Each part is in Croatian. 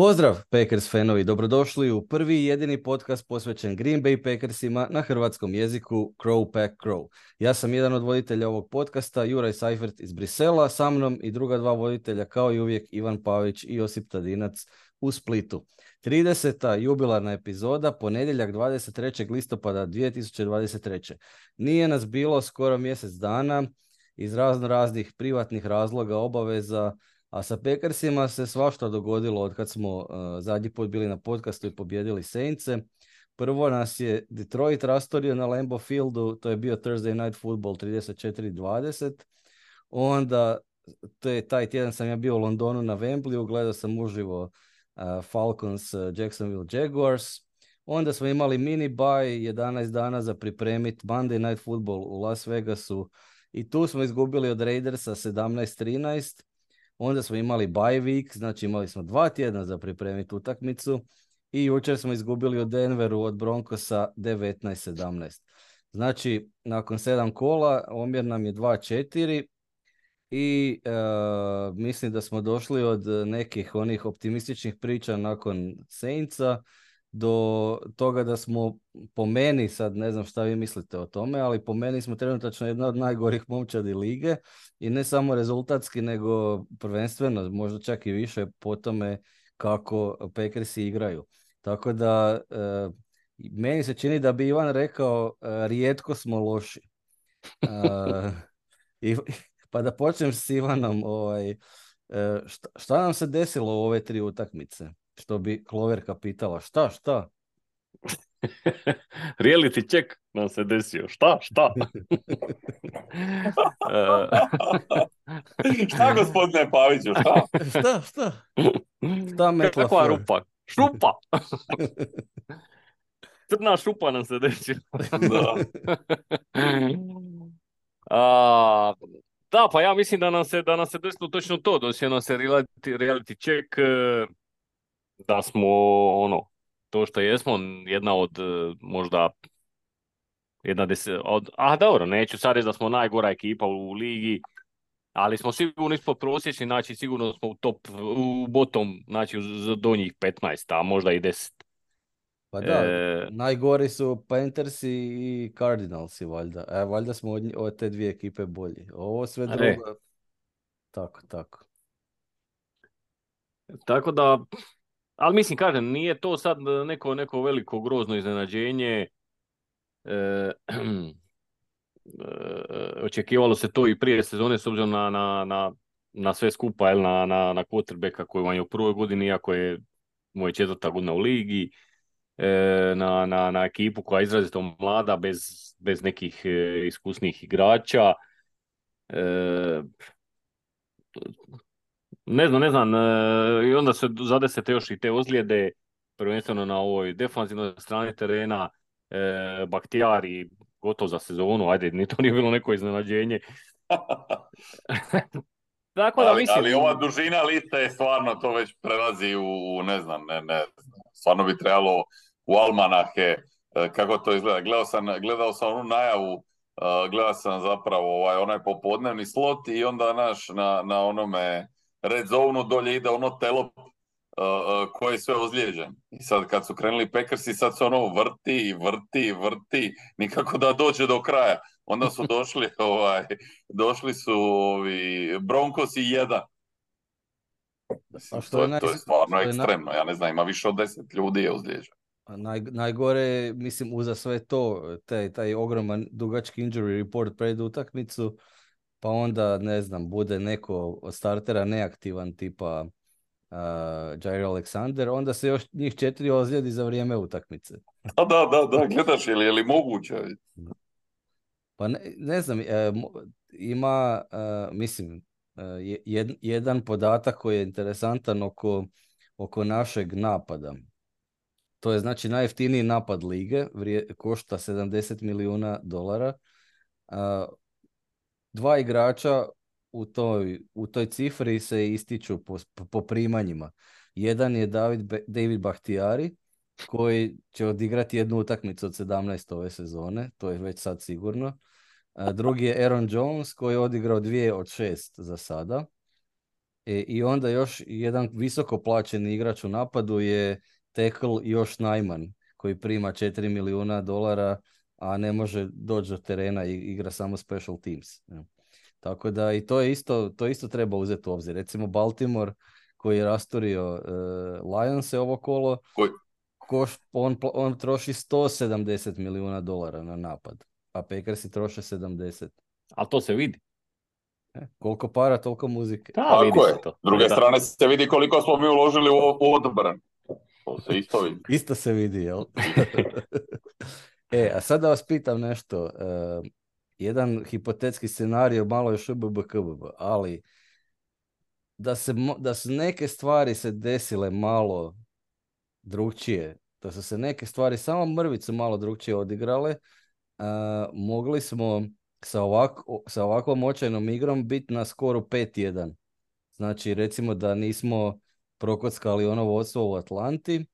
Pozdrav Packers fanovi, dobrodošli u prvi i jedini podcast posvećen Green Bay Packersima na hrvatskom jeziku Crow Pack Crow. Ja sam jedan od voditelja ovog podcasta, Juraj Seifert iz Brisela, sa mnom i druga dva voditelja kao i uvijek Ivan Pavić i Josip Tadinac u Splitu. 30. jubilarna epizoda, ponedjeljak 23. listopada 2023. Nije nas bilo skoro mjesec dana iz raznih privatnih razloga, obaveza, a sa Packersima se svašta dogodilo od kad smo zadnji put bili na podcastu i pobjedili Saintse. Prvo nas je Detroit rastorio na Lambeau Fieldu, to je bio Thursday Night Football 34-20. Onda taj tjedan sam ja bio u Londonu na Wembleyu, gledao sam uživo Falcons Jacksonville Jaguars. Onda smo imali mini bye, 11 dana za pripremiti Monday Night Football u Las Vegasu i tu smo izgubili od Raidersa 17-13. Onda smo imali bye week, znači imali smo 2 tjedna za pripremiti utakmicu i jučer smo izgubili od Denveru od Broncosa 19-17. Znači, nakon 7 kola, omjer nam je 2-4 i mislim da smo došli od nekih onih optimističnih priča nakon Saintsa do toga da smo, po meni, sad ne znam šta vi mislite o tome, ali po meni smo trenutačno jedna od najgorih momčadi lige i ne samo rezultatski, nego prvenstveno, možda čak i više po tome kako Packersi igraju. Tako da meni se čini da bi Ivan rekao rijetko smo loši. Pa da počnem s Ivanom, šta nam se desilo u ove 3 utakmice? Što bi Kloverka pitala, šta? Reality check nam se desio. Šta? Šta, gospodine Paviću, šta? Šta metla Kakva rupa? Šupa! Crna šupa nam se desila. Da, pa ja mislim da nam se desilo točno to. Desio nam se reality check, da smo to što jesmo, jedna od možda dobro, neću sad reći da smo najgora ekipa u ligi, ali smo sigurno ispod prosječni, znači sigurno smo u bottom, znači u donjih 15, a možda i 10. Pa da, najgori su Panthersi i Cardinalsi, valjda. Valjda smo od te dvije ekipe bolji. Ovo sve drugo, tako. Tako da, ali mislim, kažem, nije to sad neko veliko grozno iznenađenje. Očekivalo se to i prije sezone s obzirom na sve skupa, na quarterbacka koji vam je u prvoj godini, iako je moja 4. godina u ligi, na ekipu koja je izrazito mlada, bez nekih iskusnih igrača. Ne znam, i onda se zadesete još i te ozljede, prvenstveno na ovoj defanzivnoj strani terena. Bakhtiari gotov za sezonu, ajde, ni to nije bilo neko iznenađenje. Tako da mislim... Ali ova dužina liste je stvarno, to već prelazi u ne znam, stvarno bi trebalo u almanahe, kako to izgleda. Gledao sam onu najavu, gledao sam zapravo onaj popodnevni slot i onda na onome red zone dolje ide ono telo koji je sve ozlijeđen. I sad kad su krenuli Packersi, sad se vrti, nikako da dođe do kraja. Onda su došli su Broncos i 1. Mislim, to je stvarno ekstremno. Ja ne znam, ima više od 10 ljudi je ozlijeđen. Najgore, mislim, uza sve to, taj ogroman dugački injury report pred utakmicu, pa onda, ne znam, bude neko od startera neaktivan, tipa Jair Alexander, onda se još njih 4 ozljedi za vrijeme utakmice. Da, gledaš, je li moguće? Pa ne znam, ima, mislim, jedan podatak koji je interesantan oko našeg napada. To je znači najjeftiniji napad lige, košta $70 milijuna. 2 igrača u toj cifri se ističu po primanjima. Jedan je David Bakhtiari, koji će odigrati jednu utakmicu od 17 ove sezone, to je već sad sigurno. Drugi je Aaron Jones, koji je odigrao 2 od 6 za sada. I onda još jedan visoko plaćeni igrač u napadu je tackle Josh Nijman, koji prima $4 milijuna, a ne može doći do terena i igra samo special teams. Tako da i to isto treba uzeti u obzir. Recimo Baltimore koji je rasturio Lionse ovo kolo, on troši $170 milijuna na napad, a Packersi troše 70. Ali to se vidi. Koliko para, toliko muzike. Tako je. S druge strane se vidi koliko smo mi uložili u odbran. To se isto vidi. Isto se vidi, jel? A sad da vas pitam nešto. Jedan hipotetski scenario, malo još UBBKBB, ali da su neke stvari se desile malo drugčije, da su se neke stvari samo mrvicu malo drugčije odigrale, mogli smo sa ovakvom očajnom igrom biti na skoru 5-1. Znači, recimo da nismo prokockali ono vodstvo u Atlanti,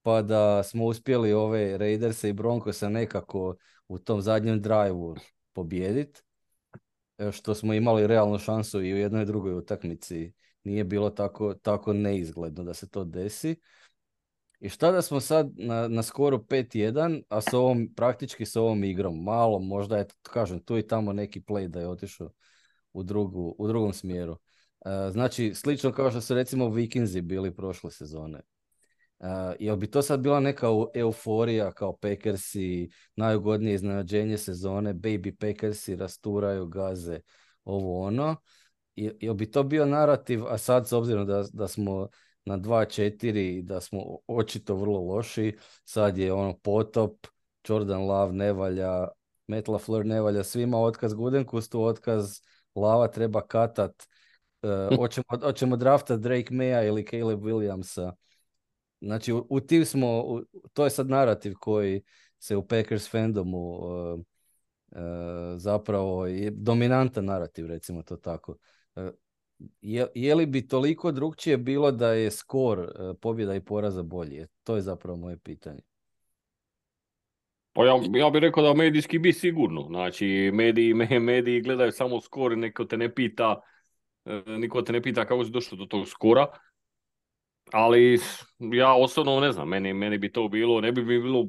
pa da smo uspjeli ove Raiderse i Broncosa nekako u tom zadnjem drive-u pobijediti, što smo imali realnu šansu i u jednoj i drugoj utakmici. Nije bilo tako neizgledno da se to desi. I šta da smo sad na skoru 5-1, a praktički s ovom igrom, malo možda je, kažem, tu i tamo neki play da je otišao u drugom smjeru. Znači, slično kao što su recimo Vikingsi bili prošle sezone. Jel bi to sad bila neka euforija kao Packersi, najugodnije iznenađenje sezone, baby Packersi rasturaju, gaze, ovo ono. Jel bi to bio narativ, a sad s obzirom da smo na 2-4, da smo očito vrlo loši, sad je ono potop, Jordan Love ne valja, Matt LaFleur ne valja, svima otkaz Gudenkustu, otkaz Lava treba katat, hoćemo draftat Drake Maya ili Caleb Williamsa. Znači, u tim smo, to je sad narativ koji se u Packers fandomu zapravo je dominantan narativ, recimo to tako. Je li bi toliko drugčije bilo da je skor pobjeda i poraza bolji? To je zapravo moje pitanje. Pa ja bih rekao da medijski bi sigurno. Znači, mediji gledaju samo skor, niko te ne pita kako si došao do tog skora. Ali ja osobno ne znam, meni bi to bilo, ne bi bilo.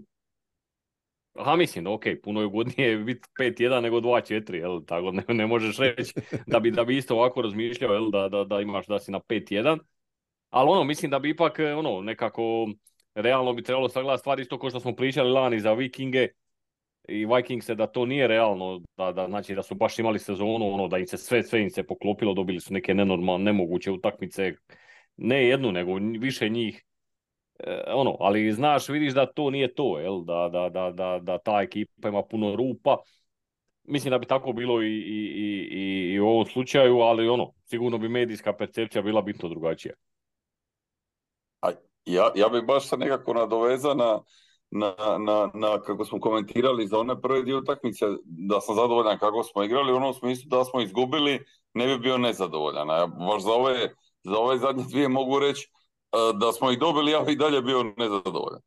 Mislim da puno je ugodnije biti 5-1 nego 2-4, jel? Tako ne možeš reći da bi isto ovako razmišljao, jel? Da imaš da si na 5-1. Ali mislim da bi ipak nekako realno bi trebalo sagledati stvari isto kao što smo pričali lani za Vikinge i Vikingse, da to nije realno, znači da su baš imali sezonu, da im se sve im se poklopilo, dobili su neke nemoguće utakmice, ne jednu nego više njih. Ali znaš, vidiš da to nije to, jel? Da ta ekipa ima puno rupa. Mislim da bi tako bilo i u ovom slučaju, ali sigurno bi medijska percepcija bila bitno drugačija. Ja bih baš se nekako nadovezao na kako smo komentirali za one prve dvije utakmice, da sam zadovoljan kako smo igrali, u onom smislu da smo izgubili, ne bi bio nezadovoljan. Ja baš za ove zadnje dvije mogu reći da smo ih dobili, ja bih i dalje bio nezadovoljan.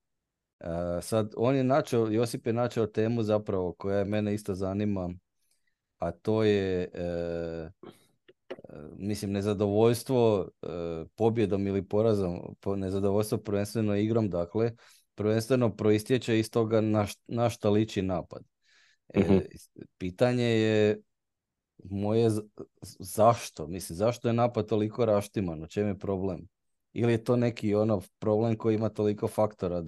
Sad, Josip je načeo temu zapravo koja mene isto zanima, a to je mislim nezadovoljstvo pobjedom ili porazom, nezadovoljstvo prvenstveno igrom, dakle, prvenstveno proistječe iz toga na šta liči napad. Pitanje je moje zašto? Mislim, zašto je napad toliko raštiman? U čem je problem? Ili je to neki problem koji ima toliko faktora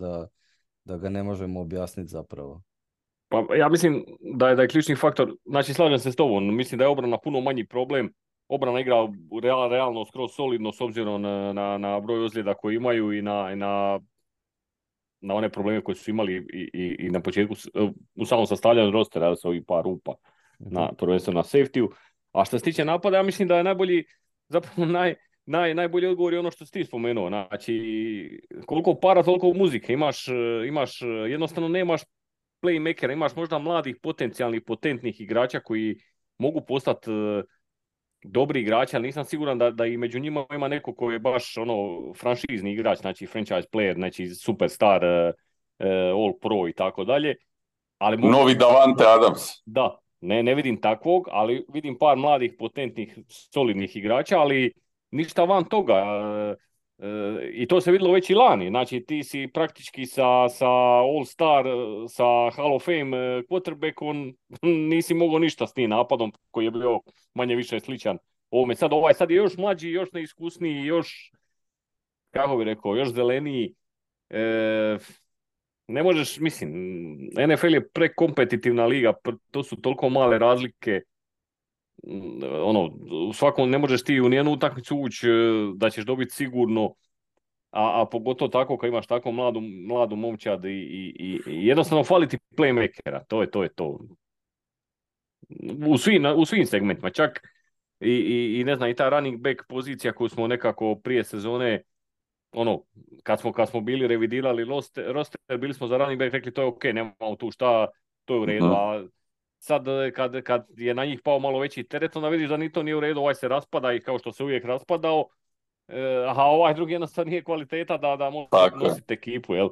da ga ne možemo objasniti zapravo? Pa ja mislim da je ključni faktor, znači slažem se s tobom, mislim da je obrana puno manji problem. Obrana igra realno skroz solidno s obzirom na broj ozljeda koji imaju i na one probleme koje su imali i na početku u samom sastavljanju rostera, ali su ovih par rupa prvenstveno na safety-u. A što se tiče napada, ja mislim da je najbolji, zapravo najbolji odgovor je ono što si ti spomenuo. Znači, koliko para, toliko muzike. Imaš jednostavno nemaš playmakera, imaš možda mladih potencijalnih, potentnih igrača koji mogu postati dobri igrači, ali nisam siguran da i među njima ima neko koji je baš franšizni igrač, znači franchise player, znači superstar, all pro i tako dalje. Novi Davante Adams. Da, ne vidim takvog, ali vidim par mladih, potentnih, solidnih igrača, ali ništa van toga. I to se vidjelo već i lani. Znači, ti si praktički sa All-Star, sa Hall of Fame quarterbackom nisi mogao ništa s tim napadom koji je bio manje više sličan ovome. Sad je još mlađi, još neiskusniji, još, kako bi rekao, još zeleniji. Ne možeš, mislim, NFL je prekompetitivna liga, to su toliko male razlike. U svakom ne možeš ti u nijednu utakmicu ući da ćeš dobiti sigurno, a pogotovo tako kad imaš tako mladu momčad i jednostavno fali ti playmakera, to je to. U svim segmentima, čak i ne znam, i ta running back pozicija koju smo nekako prije sezone, kad smo bili revidirali roster, bili smo za running back, rekli to je ok, nemamo tu šta, to je u redu, a sad kad je na njih pao malo veći teret, onda vidiš da ni to nije u redu, ovaj se raspada i kao što se uvijek raspadao, a ovaj drugi jednostavno nije kvaliteta da može nositi ekipu, jel?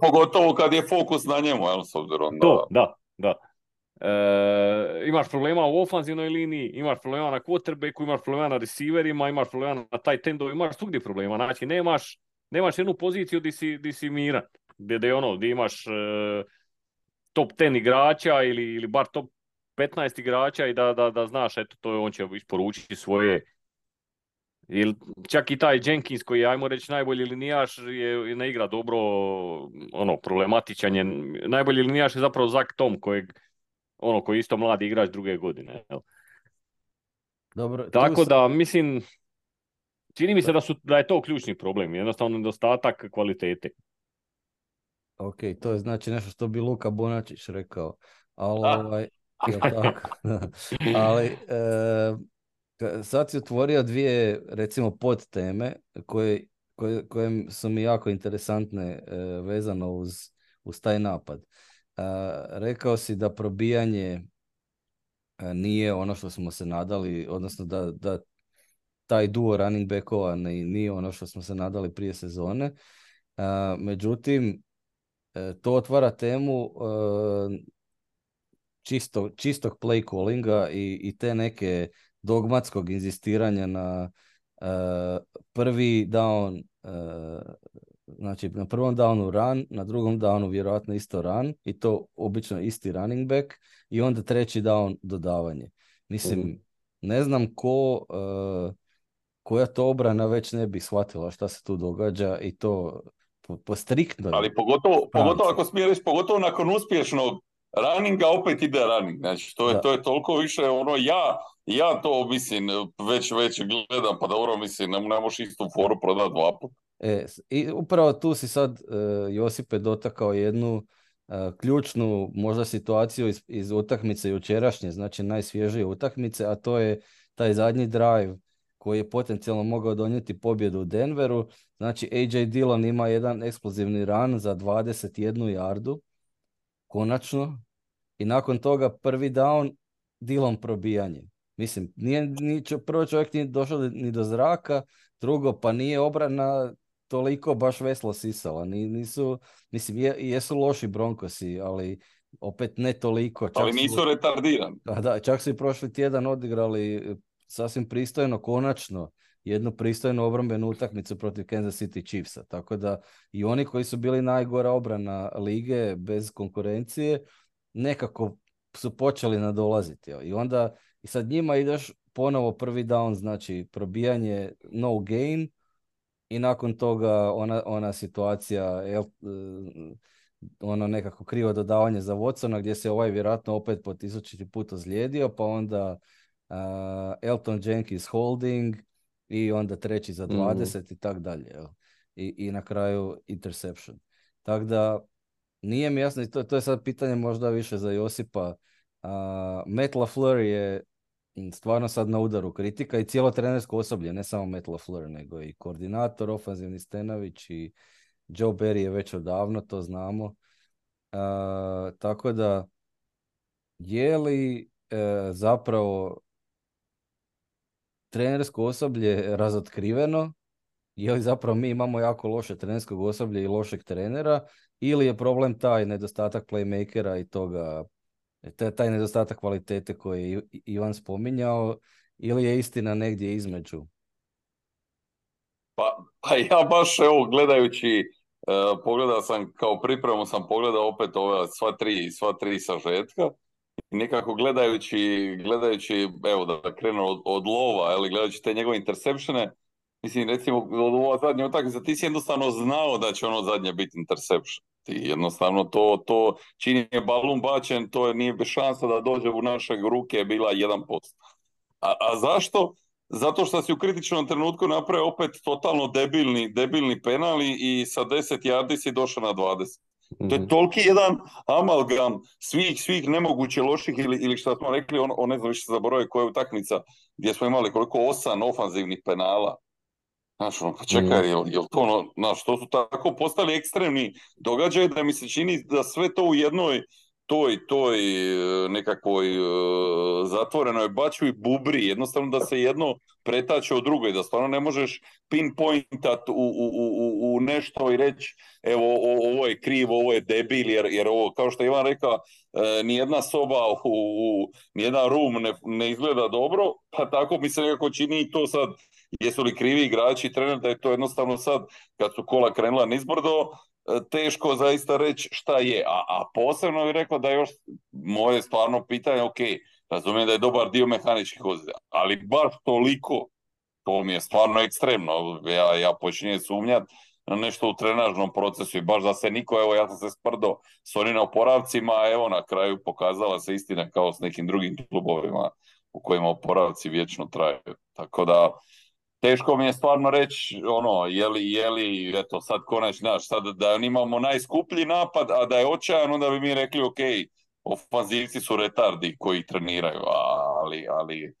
Pogotovo kad je fokus na njemu, jel, s obzirom da. Imaš problema u ofanzivnoj liniji, imaš problema na quarterbacku, imaš problema na receiverima, imaš problema na tight endu, imaš svugdje problema. Znači, nemaš jednu poziciju di si miran, gdje imaš top 10 igrača ili bar top 15 igrača i da znaš, eto, on će isporučiti svoje. Čak i taj Jenkins koji je, ajmo reći, najbolji linijaš ne igra dobro, problematičan je. Najbolji linijaš je zapravo Zach Tom koji je isto mladi igrač druge godine. Dobro, tako da, mislim, čini mi se da je to ključni problem, jednostavno nedostatak kvalitete. Ok, to je znači nešto što bi Luka Bonačić rekao, ali tako. Ali sad si otvorio dvije, recimo, podteme koje su mi jako interesantne vezano uz taj napad. Rekao si da probijanje nije ono što smo se nadali, odnosno da taj duo running backova nije ono što smo se nadali prije sezone. Međutim, to otvara temu čistog play callinga i te neke dogmatskog inzistiranja na prvi down, znači na prvom downu run, na drugom downu vjerojatno isto run i to obično isti running back i onda treći down dodavanje. Mislim, ne znam koja to obrana već ne bi shvatila šta se tu događa i to po striktnoj. Ali pogotovo ako smije reći, pogotovo nakon uspješnog runninga opet ide running. Znači, to je toliko više, ja to mislim, već gledam, pa dobro, mislim, ne možeš istu foru prodati dva puta. I upravo tu si sad, Josipe, dotakao jednu ključnu možda situaciju iz utakmice jučerašnje, znači najsvježije utakmice, a to je taj zadnji drive koji je potencijalno mogao donijeti pobjedu u Denveru. Znači, AJ Dillon ima jedan eksplozivni run za 21 yardu, konačno, i nakon toga prvi down, Dillon probijanje. Mislim, prvo čovjek nije došao ni do zraka, drugo, pa nije obrana toliko baš veslo sisala. Mislim, jesu loši Broncosi, ali opet ne toliko. Ali nisu retardirani. Da, čak su i prošli tjedan odigrali sasvim pristojno, konačno, jednu pristojnu obrambenu utakmicu protiv Kansas City Chiefsa. Tako da i oni koji su bili najgora obrana lige bez konkurencije, nekako su počeli nadolaziti. I sad njima ideš ponovo prvi down, znači probijanje no gain i nakon toga ona situacija, ono nekako krivo dodavanje za Watsona gdje se ovaj vjerojatno opet po 1000 put ozlijedio, pa onda Elton Jenkins holding i onda treći za 20 i tak dalje. I na kraju interception. Tako da nije mi jasno, i to je sad pitanje možda više za Josipa. Matt LaFleur je stvarno sad na udaru kritika i cijelo trenersko osoblje, ne samo Matt LaFleur, nego i koordinator, ofanzivni Stenović i Joe Barry je već odavno, to znamo. Tako da, je li zapravo trenersko osoblje razotkriveno, je li zapravo mi imamo jako loše trenerskog osoblje i lošeg trenera, ili je problem taj nedostatak playmakera i toga, taj nedostatak kvalitete koji je Ivan spominjao, ili je istina negdje između? Pa ja baš evo gledajući, pogledao sam kao pripremu, sam pogledao opet ove sva tri sažetka. I nekako gledajući, evo da krenu od lova, ali gledajući te njegove interceptione, mislim recimo od ova zadnja utakmica, ti si jednostavno znao da će ono zadnje biti interception. Ti jednostavno to čini je balun bačen, to nije bez šansa da dođe u naše ruke, je bila 1%. A zašto? Zato što si u kritičnom trenutku napravio opet totalno debilni penali i sa 10 yardi si došao na 20. To je toliki jedan amalgam svih nemoguće loših ili što smo rekli, on ne znam više zaboravio koja je utakmica gdje smo imali koliko 8 ofanzivnih penala. Znaš, pa čekaj, jel to znaš, to su tako postali ekstremni događaji da mi se čini da sve to u jednoj toj nekakvoj zatvorenoj bačvi bubri, jednostavno da se jedno pretače od drugo i da stvarno ne možeš pinpointat u nešto i reći evo ovo je krivo, ovo je debil, jer ovo, kao što je Ivan rekao, nijedna soba nijedan room ne izgleda dobro, pa tako mi se nekako čini i to sad, jesu li krivi igrači i trener, da je to jednostavno sad, kad su kola krenula nizbrdo, teško zaista reći šta je. A posebno bih rekao da još moje stvarno pitanje, ok, razumijem da je dobar dio mehaničkih ozljeda, ali baš toliko, to mi je stvarno ekstremno. Ja počinjem sumnjati na nešto u trenažnom procesu i baš da se niko, evo ja sam se sprdo s onim oporavcima, a evo na kraju pokazala se istina kao s nekim drugim klubovima u kojima oporavci vječno traju. Tako da teško mi je stvarno reći, je li, eto, sad konačno, znaš, sad da imamo najskuplji napad, a da je očajan, onda bi mi rekli, ok, ofanzivci su retardi koji treniraju, ali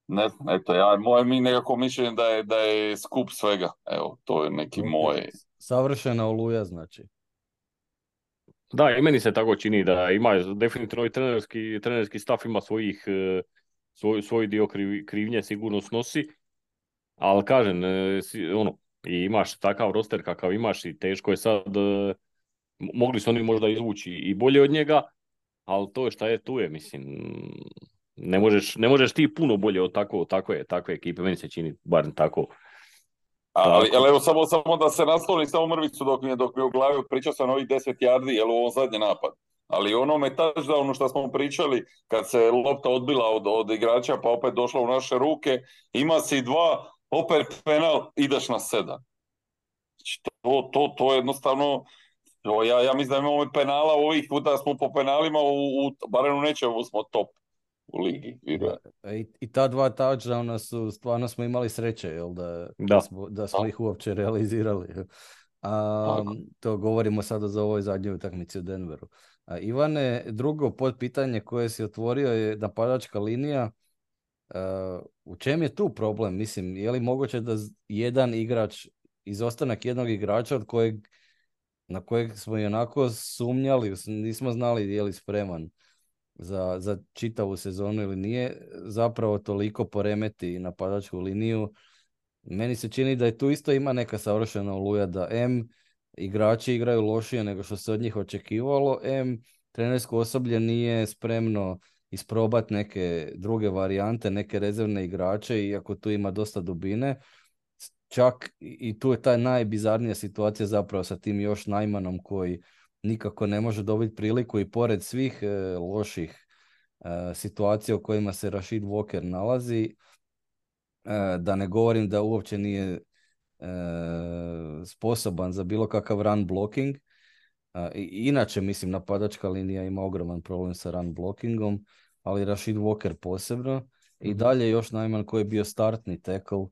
ne znam, eto, moje mi nekako mišljenje da je skup svega, evo, to je neki moj... Savršena oluja, znači. Da, i meni se tako čini da ima definitivno i trenerski staff ima svoj dio krivnje sigurno snosi, ali kažem, i imaš takav roster kakav imaš i teško je sad, mogli su oni možda izvući i bolje od njega, ali to je šta je, tu je, mislim, ne možeš ti puno bolje od takve ekipe, meni se čini barem tako. Ali evo samo da se nasloni samo mrvicu dok mi je u glavi, pričao sam ovih 10 yardi, jel u ovom zadnji napad. Ali onome touchdownu što smo pričali, kad se lopta odbila od igrača pa opet došla u naše ruke, ima si 2, opet penal, ideš na 7. Znači, to je jednostavno, ja mislim da imamo penala ovih puta, smo po penalima, barem u nečemu smo top u ligi. I ta 2 touchdowna su, stvarno smo imali sreće, jel, da smo ih uopće realizirali. To govorimo sada za ovoj zadnjoj utakmici u Denveru. Ivane, drugo podpitanje koje si otvorio je napadačka linija. U čem je tu problem? Mislim, je li moguće da jedan igrač, izostanak jednog igrača na kojeg smo i onako sumnjali, nismo znali je li spreman za čitavu sezonu ili nije, zapravo toliko poremeti napadačku liniju. Meni se čini da je tu isto ima neka savršena oluja, da igrači igraju lošije nego što se od njih očekivalo, trenersko osoblje nije spremno isprobati neke druge varijante, neke rezervne igrače, iako tu ima dosta dubine. Čak i tu je ta najbizarnija situacija zapravo sa tim još Najmanom koji nikako ne može dobiti priliku i pored svih loših situacija u kojima se Rashid Walker nalazi, da ne govorim da uopće nije sposoban za bilo kakav run blocking. Inače, mislim, napadačka linija ima ogroman problem sa run blockingom, ali Rashid Walker posebno. I dalje još Najman koji je bio startni tackle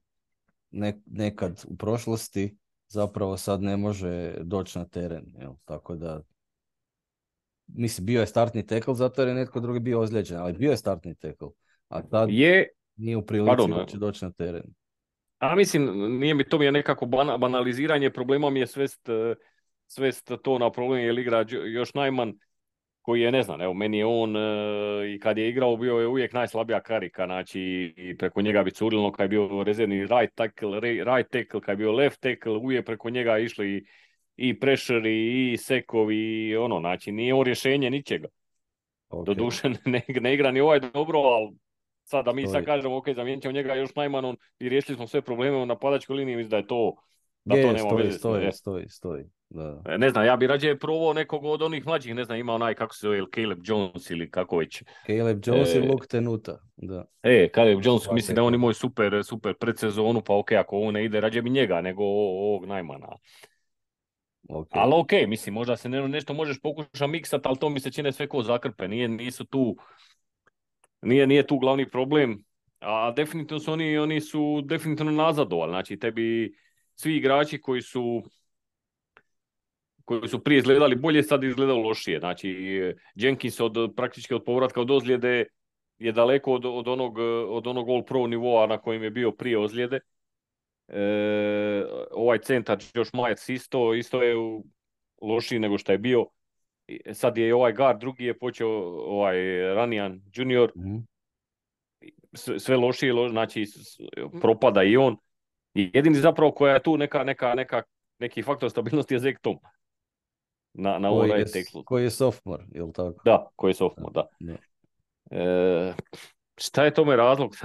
nekad u prošlosti, zapravo sad ne može doći na teren. Jel? Tako da, mislim, bio je startni tackle zato jer je netko drugi bio ozlijeđen, ali bio je startni tackle. A tad nije u prilici da će doći na teren. A mislim, to mi je nekako banaliziranje, problemom je svest to na problem, jer igra još Najman, koji je, ne znam, evo, meni je on i kad je igrao bio je uvijek najslabija karika, znači i preko njega bi curilo kad je bio rezervni right tackle, kad je bio left tackle, uvijek preko njega išli i pressure i sekovi i znači nije on rješenje ničega. Okay. Doduše ne igra ni ovaj dobro, ali Sad da mi sad kažemo, ok, zamijenit ćemo njega još Najmanom i riješili smo sve probleme u napadačkoj liniji, mislim da to nema veze. Stoji. Da. Ne znam, ja bi rađe probao nekog od onih mlađih, ne znam, ima onaj, kako se zove, Caleb Jones ili kako već. Caleb Jones i Luke Tenuta, da. Caleb Jones, mislim da on ima super predsezonu, pa ok, ako ovo ne ide, rađe bi njega nego ovog Najmana. Okay. Ali ok, mislim, možda se nešto možeš pokušati miksat, ali to mi se čine sve ko zakrpe, nije tu glavni problem, a definitivno su oni su definitivno nazadovali, znači tebi svi igrači koji su prije izgledali bolje, sad izgledaju lošije. Znači, Jenkins praktički od povratka od ozljede je daleko od onog All-Pro nivoa na kojem je bio prije ozljede. Ovaj centar Josh Myers isto je lošiji nego što je bio. Sad je ovaj guard, drugi je počeo Ranian Junior. Sve lošije, znači propada i on. I jedini zapravo koja je tu neki faktor stabilnosti je Zach Tom. Na ovom right tacklu. Koji je sophomore, je li tako? Da, koji je sophomore, da. Šta je tome razlog?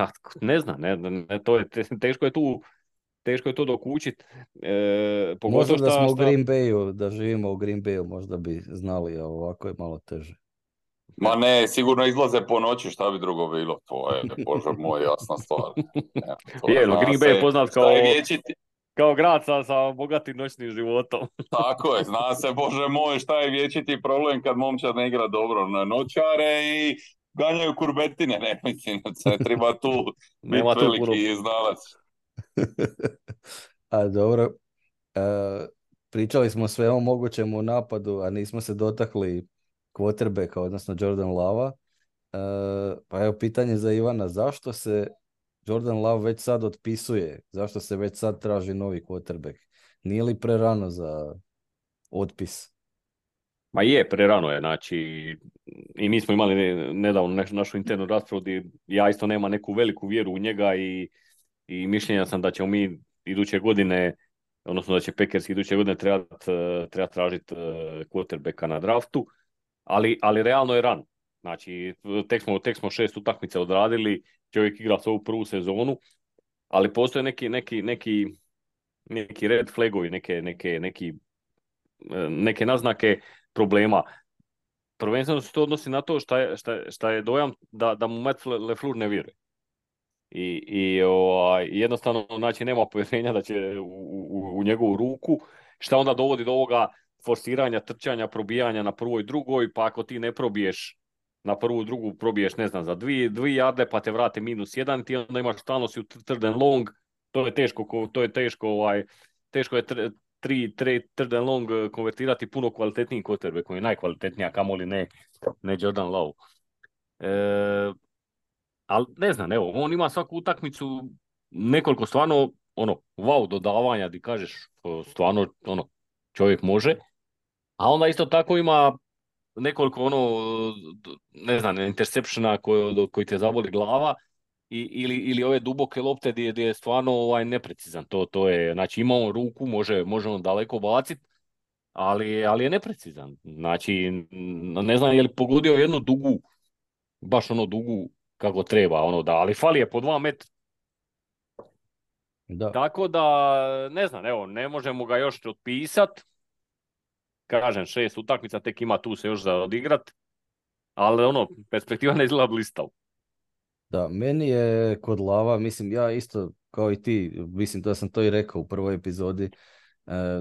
Ne znam, to je, teško je to dokučiti. Možda da smo u Green Bayu, da živimo u Green Bayu, možda bi znali, a ovako je malo teže. Ma ne, sigurno izlaze po noći, šta bi drugo bilo, to je, bože moj, jasna stvar. Green Bay je poznat kao grad sa bogatim noćnim životom. Tako je, zna se, bože moj, šta je vječiti problem kad momčad ne igra dobro na noćare i ganjaju kurbetine, ne mislim, se treba tu biti veliki znalac. A dobro, pričali smo sve o mogućem u napadu, a nismo se dotakli quarterbacka, odnosno Jordan Lava. Pa evo pitanje za Ivana, zašto se Jordan Love već sad otpisuje? Zašto se već sad traži novi quarterback? Nije li prerano za otpis? Ma je, prerano je, znači i mi smo imali nedavno našu internu raspravu gdje ja isto nema neku veliku vjeru u njega i mišljenja sam da ćemo mi iduće godine, odnosno da će Packers iduće godine treba tražiti quarterbacka na draftu, ali realno je rano. Znači, tek smo 6 utakmica odradili, čovjek igra svoju prvu sezonu, ali postoje neki red flagovi, neke naznake problema. Prvenstveno se to odnosi na to šta je dojam da mu Matt LaFleur ne vjeruje. I jednostavno, znači, nema povjerenja da će u njegovu ruku, šta onda dovodi do ovoga forsiranja, trčanja, probijanja na prvoj, drugoj, pa ako ti ne probiješ na prvu, drugu, probiješ, ne znam, za 2 jarde, pa te vrate -1, ti onda imaš stalno si u third and long, to je teško je 3 third and long konvertirati puno kvalitetnijim quarterback, koji je najkvalitetnija, kamoli ne Jordan Love. Ali ne znam, evo, on ima svaku utakmicu nekoliko stvarno, wow dodavanja, di kažeš, stvarno, čovjek može, a onda isto tako ima nekoliko ne znam, interceptiona koji te zaboli glava ili ove duboke lopte gdje je stvarno neprecizan. To je, znači ima on ruku, može on daleko baciti, ali je neprecizan. Znači, ne znam je li pogodio jednu dugu, baš dugu kako treba, ali fali je po 2 metra. Da. Tako da, ne znam, evo, ne možemo ga još otpisati. Kažem, 6 utakmica, tek ima tu se još za odigrat, ali perspektiva ne izgleda blistav. Da, meni je kod Lava, mislim, ja isto kao i ti, mislim da sam to i rekao u prvoj epizodi,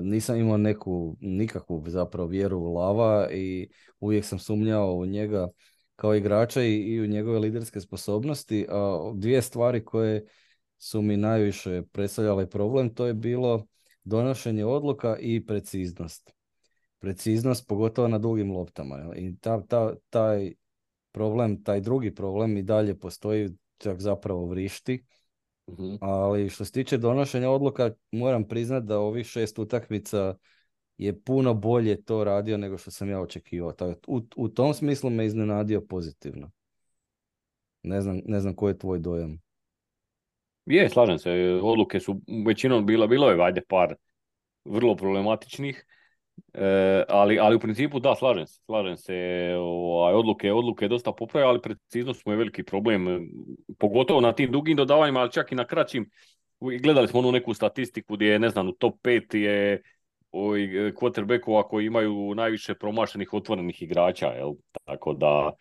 nisam imao nikakvu zapravo vjeru u Lava i uvijek sam sumnjao u njega kao igrača i u njegove liderske sposobnosti, a 2 stvari koje su mi najviše predstavljale problem, to je bilo donošenje odluka i preciznost. Preciznost, pogotovo na dugim loptama. I taj problem, taj drugi problem i dalje postoji, čak zapravo vrišti. Uh-huh. Ali što se tiče donošenja odluka, moram priznati da ovih 6 utakmica je puno bolje to radio nego što sam ja očekivao. U tom smislu me iznenadio pozitivno. Ne znam koji je tvoj dojam. Je, slažem se. Odluke su većinom bilo je par vrlo problematičnih. Ali u principu da, slažem se, odluke je dosta popravio, ali preciznost mu je veliki problem, pogotovo na tim dugim dodavanjima, ali čak i na kraćim. Gledali smo onu neku statistiku gdje je, ne znam, u top 5 je quarterbackova koji imaju najviše promašenih otvorenih igrača, jel? Tako da,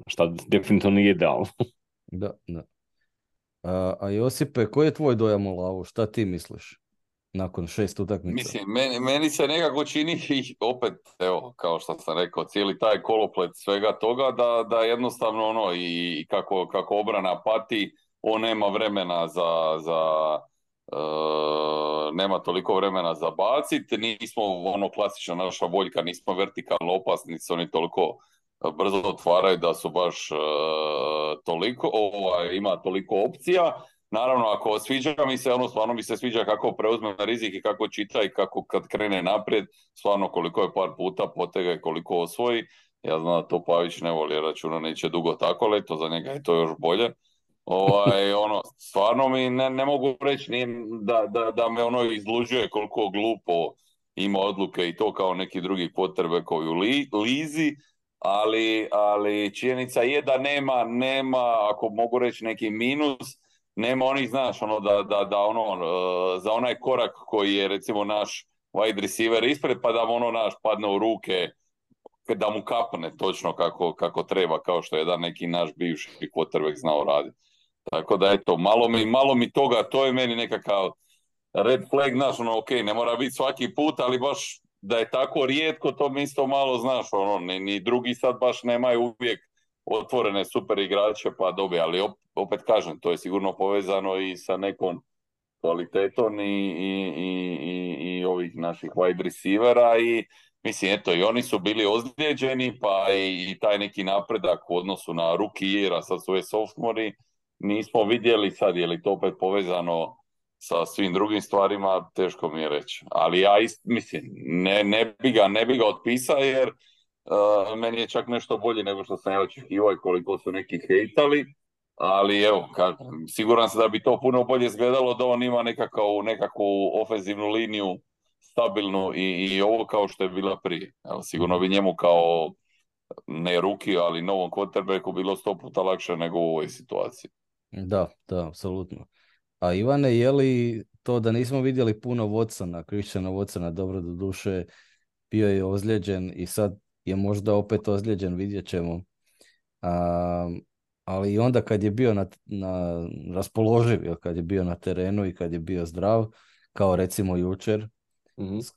šta definitivno nije idealno. Da, da. A Josipe, koji je tvoj dojam o Lavu? Šta ti misliš nakon 6 utakmica? Mislim, meni se nekako čini i opet, evo, kao što sam rekao, cijeli taj koloplet svega toga da jednostavno ono i kako obrana pati, on nema vremena nema toliko vremena za baciti, nismo ono klasična naša boljka, nismo vertikalno opasni, se oni toliko brzo otvaraju da su baš toliko, ima toliko opcija. Naravno, ako sviđa mi se, ono stvarno mi se sviđa kako preuzme rizik i kako čita i kako kad krene naprijed, stvarno koliko je par puta potega i koliko osvoji. Ja znam da to Pavić ne voli, računa neće dugo tako, ali to za njega je to još bolje. Stvarno mi ne mogu reći da me ono izluđuje koliko glupo ima odluke i to kao neki drugi quarterbackovi u lizi, ali činjenica je da nema, ako mogu reći neki minus, nema onih, znaš, ono za onaj korak koji je recimo naš wide receiver ispred, pa da mu ono naš padne u ruke, da mu kapne točno kako treba, kao što je jedan neki naš bivši quarterback znao raditi. Tako da eto, malo mi toga, to je meni nekakav red flag, znaš, ono, ok, ne mora biti svaki put, ali baš da je tako rijetko, to mi isto malo, znaš, ono, ni drugi sad baš nemaju uvijek otvorene super igrače pa dobije, ali opet kažem, to je sigurno povezano i sa nekom kvalitetom i ovih naših wide receivera i mislim, eto, i oni su bili ozlijeđeni, pa i taj neki napredak u odnosu na rookie year, a sad su ove sophomori, nismo vidjeli sad, je li to opet povezano sa svim drugim stvarima, teško mi je reći. Ali ja mislim, ne bi ga otpisao jer meni je čak nešto bolje nego što sam ja očekivao i koliko su neki hejtali, ali evo, siguran sam da bi to puno bolje izgledalo da on ima nekakvu ofenzivnu liniju stabilnu i ovo kao što je bila prije. Evo, sigurno bi njemu kao ne ruki, ali novom quarterbacku bilo 100 puta lakše nego u ovoj situaciji. Da, apsolutno. A Ivane, je li to da nismo vidjeli puno Christiana Watsona, dobro do duše, bio je ozlijeđen i sad je možda opet ozlijeđen, vidjet ćemo. Ali i onda kad je bio na raspoloživ, kad je bio na terenu i kad je bio zdrav, kao recimo jučer,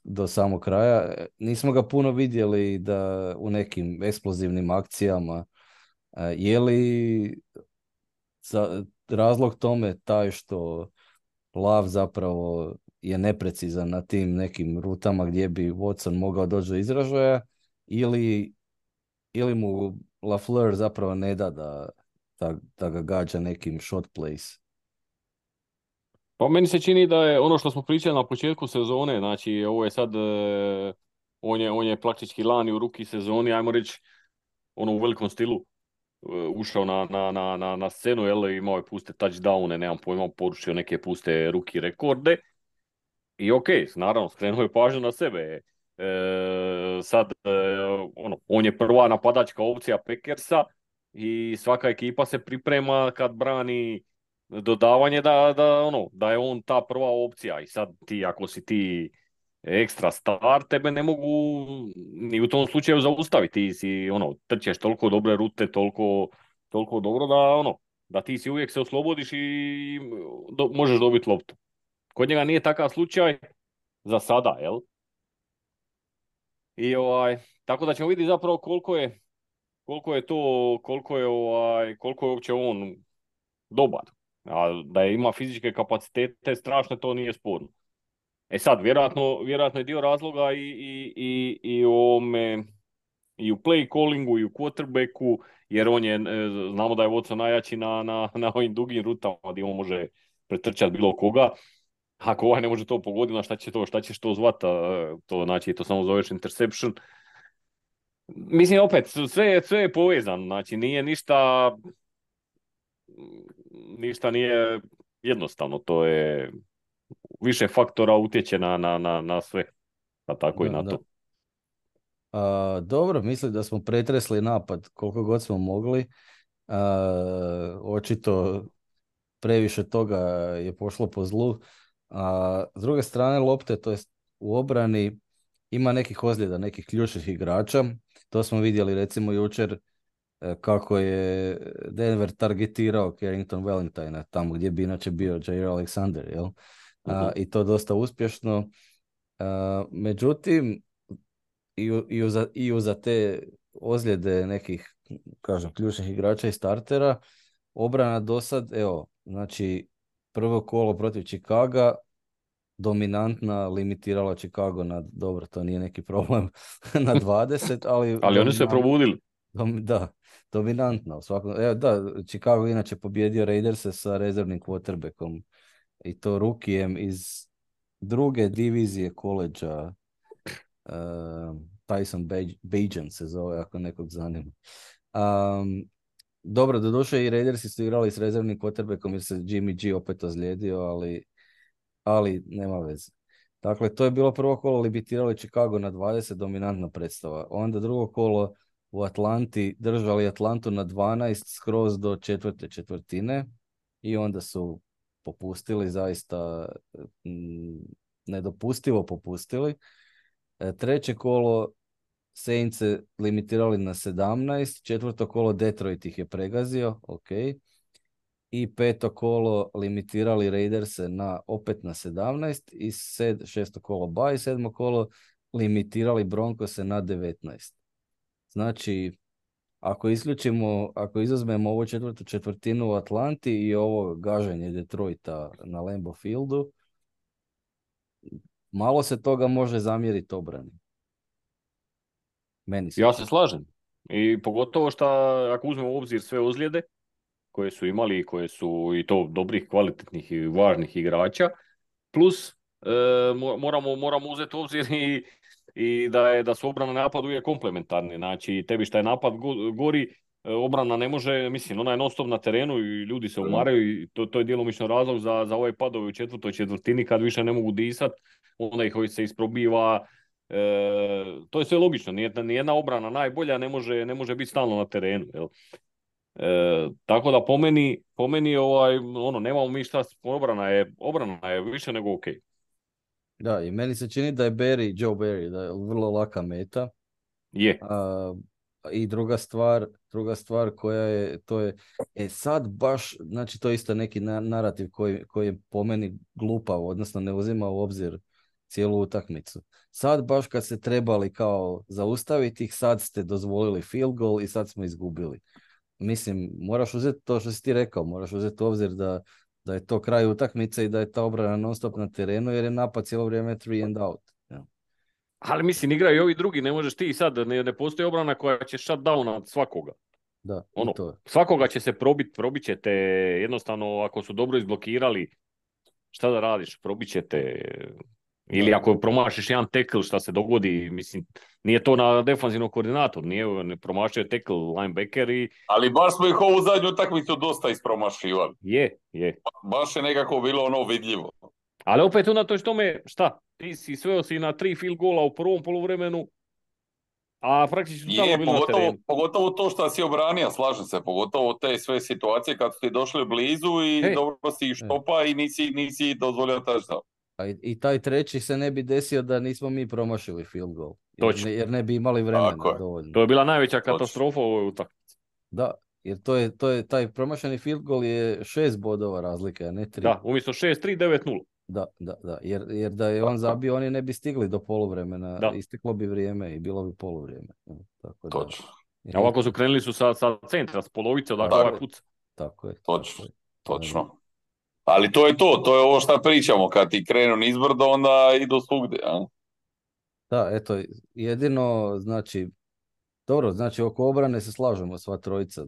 do samog kraja, nismo ga puno vidjeli da u nekim eksplozivnim akcijama. Je li razlog tome taj što Lav zapravo je neprecizan na tim nekim rutama gdje bi Watson mogao doći do izražaja ili mu LaFleur zapravo ne da da ga gađa nekim shot plays? Pa meni se čini da je ono što smo pričali na početku sezone, znači ovo je sad, on je praktički lani u ruki sezoni, ajmo reći, ono u velikom stilu ušao na scenu, jel, imao je puste touchdowne, nemam pojma, porušio neke puste ruki rekorde. I ok, naravno, skrenuo je pažnju na sebe. Sad, on je prva napadačka opcija Packersa i svaka ekipa se priprema kad brani dodavanje da je on ta prva opcija. I sad ako si ti ekstra star, tebe ne mogu ni u tom slučaju zaustaviti. Ti si, trčeš toliko dobre rute, toliko dobro da ti si uvijek se oslobodiš i možeš dobiti loptu. Kod njega nije takav slučaj za sada, jel? I tako da ćemo vidjeti zapravo koliko je uopće on dobar. A da je ima fizičke kapacitete strašne, to nije sporno. E sad, vjerojatno je dio razloga i u play callingu i u quarterbacku, jer znamo da je Watson najjači na ovim dugim rutama gdje on može pretrčati bilo koga. Ako ne može to pogoditi, šta ćeš to zvati, to znači to samo zoveš interception. Mislim, opet, sve je povezano, znači nije ništa nije jednostavno, to je više faktora utječe na sve. Pa tako i Da, na da. to. Dobro, mislim da smo pretresli napad koliko god smo mogli. Očito previše toga je pošlo po zlu. S druge strane lopte, to jest u obrani, ima nekih ozljeda, nekih ključnih igrača. To smo vidjeli recimo jučer kako je Denver targetirao Carrington Valentine tamo gdje bi inače bio Jair Alexander, jel? I to dosta uspješno. Međutim, i uza te ozljede nekih, kažem, ključnih igrača i startera, obrana do sad, evo, znači prvo kolo protiv Chicaga, dominantna, limitirala Chicago na, dobro, to nije neki problem, na 20, ali Ali oni su se probudili. Da, dominantno. Evo, da, Chicago inače pobjedio Raiderse sa rezervnim quarterbackom i to rukijem iz druge divizije koleđa. Tyson Bagent se zove, ako nekog zanima. Dobro, doduše i Raidersi su igrali s rezervnim quarterbackom jer se Jimmy G opet ozlijedio, ali nema veze. Dakle, to je bilo prvo kolo, limitirali Chicago na 20, dominantna predstava. Onda drugo kolo u Atlanti, držali Atlantu na 12 skroz do četvrte četvrtine i onda su popustili, zaista nedopustivo popustili. Treće kolo Saints se limitirali na 17, četvrto kolo Detroit ih je pregazio, ok. I peto kolo limitirali Raiderse opet na 17 i šesto kolo bye, sedmo kolo limitirali Broncose na 19. Znači, ako izuzmemo ovu četvrtu četvrtinu u Atlanti i ovo gaženje Detroita na Lambeau Fieldu, malo se toga može zamjeriti obrani. Meni se. Ja se slažem. I pogotovo što ako uzmemo u obzir sve ozljede koje su imali i koje su i to dobrih, kvalitetnih i važnih igrača, plus moramo uzeti u obzir i da su obrana i napad uvijek komplementarni. Znači, tebi šta je napad gori, obrana ne može, mislim, ona je non stop na terenu i ljudi se umaraju i to je djelomično razlog za ovaj padove u četvrtoj četvrtini kad više ne mogu disat, onda ih se isprobiva. To je sve logično, nijedna obrana najbolja ne može biti stalno na terenu. Jel? Tako da po meni nemamo mi šta, obrana je više nego ok. Da, i meni se čini da je Joe Barry, da je vrlo laka meta. Je. I druga stvar koja je, to je, sad baš, znači to je isto neki narativ koji je po meni glupav, odnosno ne uzima u obzir cijelu utakmicu. Sad baš kad ste trebali kao zaustaviti ih, sad ste dozvolili field goal i sad smo izgubili. Mislim, moraš uzeti to što si ti rekao, moraš uzeti u obzir da je to kraj utakmice i da je ta obrana non stop na terenu jer je napad cijelo vrijeme 3 and out. Ja. Ali mislim, igraju i ovi drugi, ne možeš ti sad, ne postoji obrana koja će shut down od svakoga. Da, svakoga će se probit ćete, jednostavno ako su dobro izblokirali, šta da radiš, probit ćete. Ili ako promašiš jedan tackle, šta se dogodi, mislim, nije to na defanzivnom koordinatoru, ne promašio tackle linebacker i... Ali baš smo ih ovu zadnju utakmicu dosta ispromašivali. Je. Baš je nekako bilo vidljivo. Ali opet unatoč tome, šta, ti si sveo si na 3 field goala u prvom poluvremenu, a praktično stalno bilo na terenu. Pogotovo to što si obranio, slažem se, pogotovo te sve situacije kad ste došli blizu i dobro si ih štopa i nisi dozvolio touchdown. I taj treći se ne bi desio da nismo mi promašili field goal. Jer ne bi imali vremena dovoljno. To je bila najveća katastrofa u ovoj utakmici. Da, jer to je taj promašeni field goal je 6 bodova razlike, a ne 3. Da, umjesto 6-3, 9-0. Da. Jer da je on zabio, oni ne bi stigli do poluvremena. Da. Isteklo bi vrijeme i bilo bi poluvrijeme. Tako da. Točno. A ovako su krenuli sa centra, s polovice, odakle ovaj puca. Tako je. Točno. Ali to je ovo što pričamo, kad ti krenu nizbrdo, onda idu svugdje, a? Da, eto, jedino, znači, dobro, znači oko obrane se slažemo sva trojica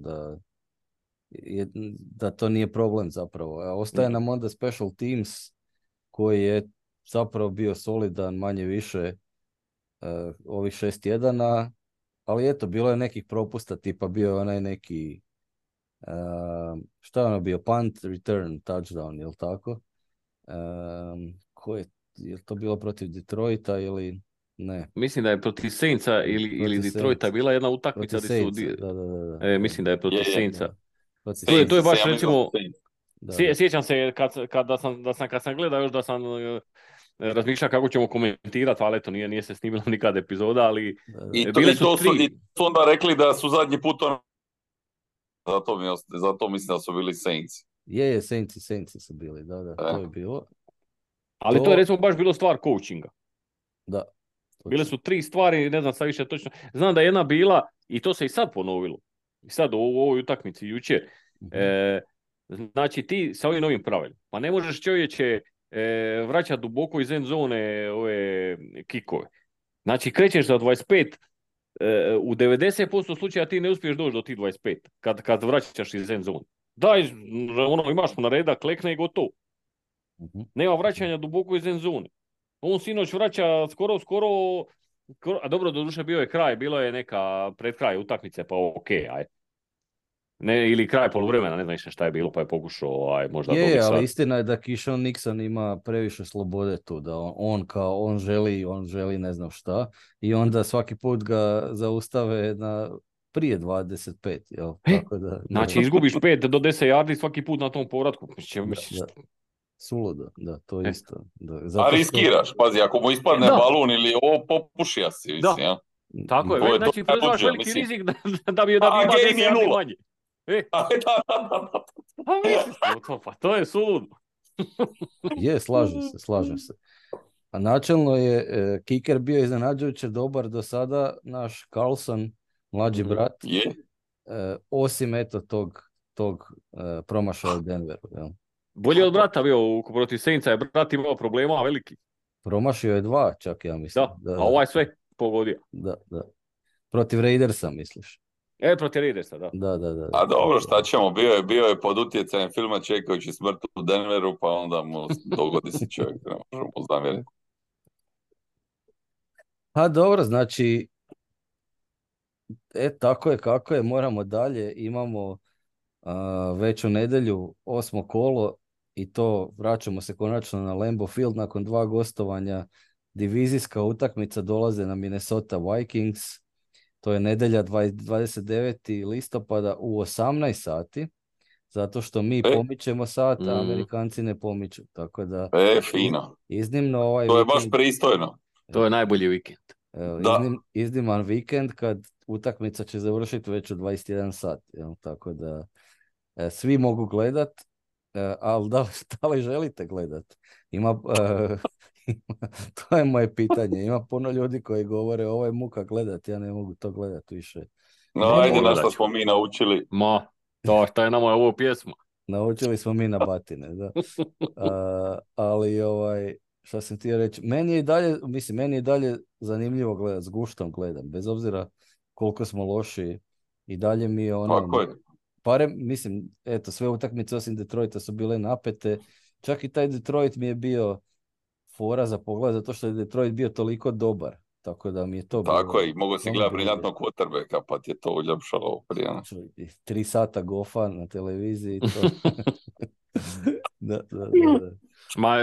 da to nije problem zapravo. Ostaje nam onda special teams koji je zapravo bio solidan manje više ovih 6 tjedana, ali eto, bilo je nekih propusta, tipa bio je onaj neki šta je ono bio, punt, return, touchdown, jel tako? Je to bilo protiv Detroita ili Ne. Mislim da je protiv Saintsa ili Detroita bila jedna utakmica Protiv gdje su... Saintsa, da. mislim da je protiv Saintsa. Protiv To je Saints, baš ja mislim da recimo... su Saints. Da. Sjećam se kad sam gledao još da sam razmišljao kako ćemo komentirati, ali eto nije se snimila nikad epizoda, ali bile su I tri. su onda rekli da su zadnji put zato mislim da su bili Saints. Je, Saintsi su bili, da, to je bilo. Ali to je recimo baš bilo stvar coachinga. Da. Bile su 3 stvari, ne znam sad više točno. Znam da je jedna bila, i to se i sad ponovilo, i sad u ovoj utakmici jučer. Znači ti sa ovim novim pravilima, pa ne možeš čovječe vraćati duboko iz end zone ove kikove. Znači krećeš za 25, u 90% slučaja ti ne uspiješ doći do tih 25 kad vraćaš iz end zone. Daj, imaš mu na reda, klekne i gotovo. Nema vraćanja duboko iz end zone. On sinoć vraća skoro, a dobro, doduše bio je kraj, bilo je neka pred kraj utakmice, pa okej, aj. Ne, ili kraj poluvremena, ne znam više šta je bilo, pa je pokušao možda dobiti sad. Ali istina je da Keyshawn Nixon ima previše slobode tu, da on želi ne znam šta, i onda svaki put ga zaustave prije 25, jel? Tako da, znači izgubiš 5 do 10 yardi svaki put na tom povratku. Da. Suludo, da, to je isto. Da. A riskiraš, pazi, ako mu ispadne balun ili ovo, popušija si, mislim, ja. Tako je, znači preuzmaš veliki rizik da bi ima 10 yardi manje. Pa to je suludo. Je, slažem se. A načelno je kicker bio iznenađujuće dobar do sada, naš Carlson, mlađi brat, osim eto tog promašaja u Denveru. Jel? Bolje od brata bio protiv Saintsa, je brat imao problema veliki. Promašio je 2, čak ja mislim. Da, a ovaj sve pogodio. Da. Protiv Raidersa, misliš? Protiv Raidersa, da. Da. A dobro, šta ćemo, bio je pod utjecajem filma Čekajući smrt u Denveru, pa onda mu dogodi se čovjek, ne možemo zamjeriti. A dobro, znači, tako je kako je, moramo dalje, imamo već u nedjelju 8. kolo i to vraćamo se konačno na Lambeau Field nakon 2 gostovanja. Divizijska utakmica dolaze na Minnesota Vikings. To je nedjelja 29. listopada u 18 sati, zato što mi pomičemo sat, a Amerikanci ne pomiču. Tako da, fino. Iznimno to je baš pristojno. To je najbolji vikend. Izniman vikend kad utakmica će završiti već u 21 sat. Jel? Tako da svi mogu gledat, ali da li želite gledat? To je moje pitanje. Ima puno ljudi koji govore ovo je muka gledat, ja ne mogu to gledat više. No, ajde, na što smo mi naučili. To je nama ovo pjesma. Naučili smo mi na batine, da. Ali šta sam htio reći, meni je i dalje zanimljivo gledat, s guštom gledam, bez obzira koliko smo loši, i dalje mi je sve utakmice osim Detroita su bile napete, čak i taj Detroit mi je bio fora za pogled, zato što je Detroit bio toliko dobar, tako da mi je to bilo... Tako je, mogu si gledati briljantnog quarterbacka, pa ti je to uljepšalo prije. 3 sata gofa na televiziji, to... da. Ma,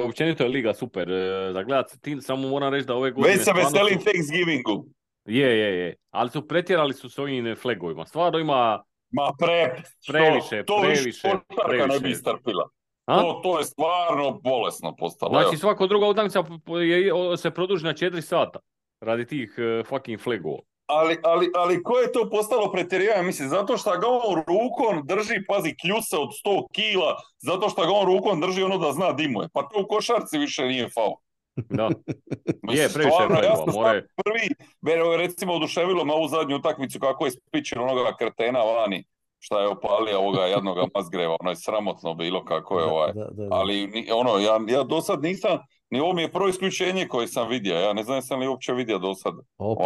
općenito je liga super za gledat. Samo moram reći da ove godine... Već se veselim Thanksgivingu. Je. Ali pretjerali su s ovim flagovima. Stvarno ima... Ma previše. Ne bi strpila. To je stvarno bolesno postalo. Znači svaka druga utakmica se produži na 4 sata radi tih fucking flagova. Ali ko je to postalo pretjerivanje? Mislim, zato što ga on rukom drži, pazi, kljuse od 100 kila, zato što ga on rukom drži ono da zna dimuje. Pa to u košarci više nije faul. Da. Je, previše flagova. Prvi, recimo, oduševilo me ovu zadnju utakmicu kako je spičio onoga kretena vani, šta je opalio ovoga jadnoga Mazgreva, ono je sramotno bilo kako je Da. Ali ja do sad nisam, ni ovo mi je prvo isključenje koje sam vidio, ja ne znam jesam li uopće vidio do sad.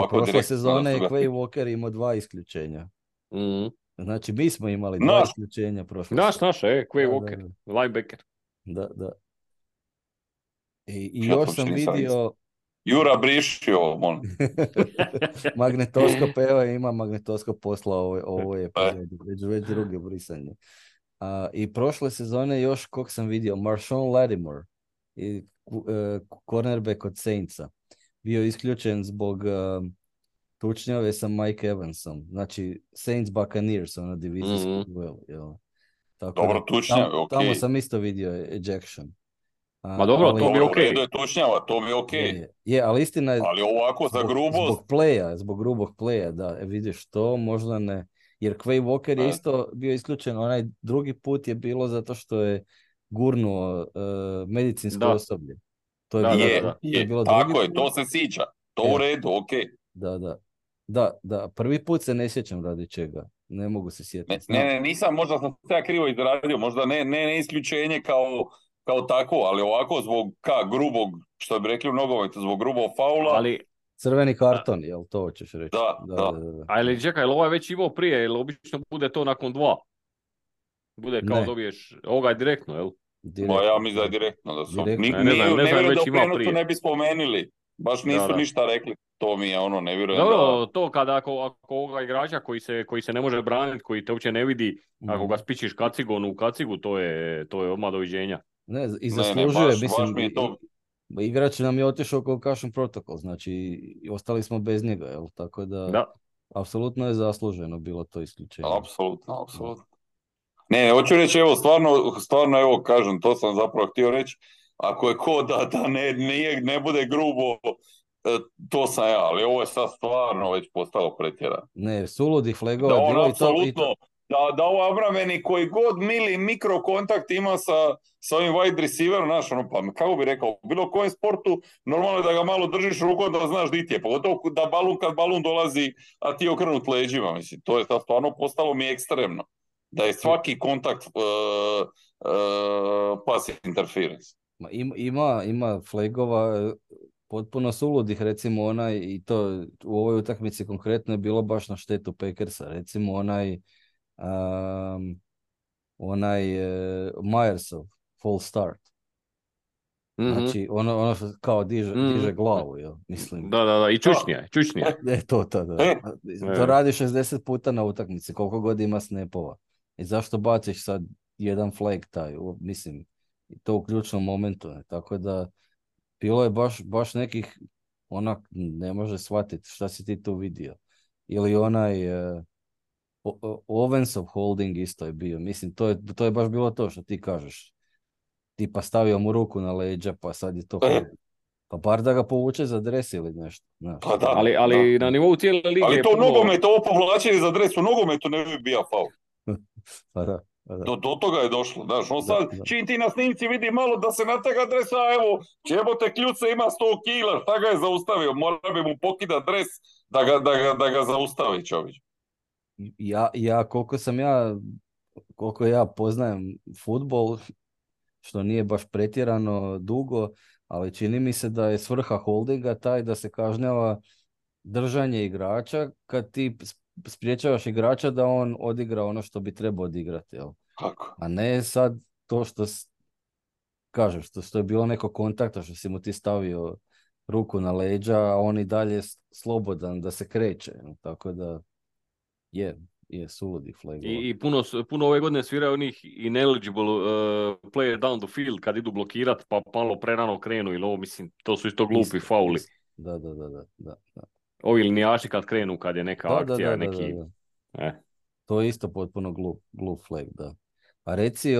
Prošle sezone je Quay Walker imao 2 isključenja. Znači mi smo imali 2 isključenja prošle sezone. Naš, Quay Walker, linebacker. Da. I još sam vidio... Jura briši ovo, molim. Magnetoskop, ima magnetoskop posla ovo je već druge brisanje. I prošle sezone još kog sam vidio, Marshawn Lattimore, i cornerback od Saintsa. bio isključen zbog tučnjave sa Mike Evansom. Znači, Saints Buccaneers, ono divizijski duel. Jel? Tako Dobro, da, tučnjave, ok. tamo sam isto vidio ejection. Ma dobro, ali, to mi je Dobro, u okej. redu je tučnjava, to mi je ok. Je, ali istina je, Ali ovako za grubost, zbog grubog playa, da, vidiš to, možda ne. Jer Quay Walker je isto bio isključen, onaj drugi put je bilo zato što je gurnuo medicinsko osoblje. To je, Da. To je bilo tako drugi je, put. to se sjeća, to u redu, ok. Da, prvi put se ne sjećam radi čega, ne mogu se sjetiti. Ne, nisam, možda sam se ja krivo izrazio, možda ne isključenje kao tako, ali ovako zbog grubog, što bi rekli u nogometu, zbog grubog faula. Ali crveni karton, jel to hoćeš reći? Da. Ali čekaj, ovaj već imao prije, jer obično bude to nakon 2. Bude kao dobiješ, ovoga je direktno, jel? Ba ja mislim da je direktno. Da su. Ne vjerujem da u prijenosu ne bi spomenuli. Baš nisu ništa rekli. To mi je ono, ne vjerujem da... To kada ako ovoga igrača koji se ne može braniti, koji te uopće ne vidi, ako ga spičiš kacigonu u kacigu, to je odmah doviđenja. Ne, i zaslužuje, baš mi je to... Igrač nam je otišao concussion protokol, znači ostali smo bez njega, jel? Tako da, apsolutno je zasluženo bilo to isključenje. Apsolutno. Ne, hoću reći, evo, stvarno, evo, kažem, to sam zapravo htio reći, ako je ko da ne bude grubo, to sam ja, ali ovo je sad stvarno već postalo pretjerano. Ne, suludih flegova je bilo apsolutno, i to. Da ovo obrambeni koji god mili mikrokontakt ima sa ovim wide receiverom, znaš, ono, pa kako bi rekao, u bilo kojem sportu, normalno je da ga malo držiš rukom da znaš di ti je, pogotovo da kad balun dolazi, a ti je okrenut leđima, mislim, to je stvarno postalo mi ekstremno. Da je svaki kontakt pass interference. Ima flagova potpuno suludih, recimo onaj, i to u ovoj utakmici konkretno je bilo baš na štetu Packersa, recimo onaj Myersov false start. Znači, ono što kao diže glavu, jel? Mislim. Da, i čučnija. To. To radi 60 puta na utakmici, koliko god ima snapova. I zašto baciš sad jedan flag taj, mislim, to u ključnom momentu, ne? Tako da bilo je baš nekih, onak, ne može shvatiti šta si ti tu vidio. Ili onaj Owensov holding isto je bio, mislim, to je baš bilo to što ti kažeš. Tipa stavio mu ruku na leđa, pa sad je to pa bar da ga povuče za dres ili nešto. Pa da, ali na nivou cijele lige... Ali to u nogometu, ovo povlačenje za dres u nogometu ne bi bio faul. Pa da. Do toga je došlo, znaš, on sad, čim ti na snimci vidi malo da se natega dresa, evo, jebote kljuce ima 100 kila, šta ga je zaustavio, mora bi mu pokida dres da ga zaustavi čovječ. Koliko ja poznajem fudbal, što nije baš pretjerano dugo, ali čini mi se da je svrha holdinga taj da se kažnjava držanje igrača kad ti spriječavaš igrača da on odigra ono što bi trebao odigrati, jel? Kako? A ne sad to što kažeš, što je bilo neko kontakta, što si mu ti stavio ruku na leđa, a on i dalje slobodan da se kreće, tako da je suludi flag. I puno ove godine sviraju onih ineligible player down the field kad idu blokirat pa malo prerano krenu ili ovo, mislim, to su isto glupi fauli. Da. Ovi linijaši kad krenu, kad je neka akcija, neki... Da. To je isto potpuno glup flag, da. A reci,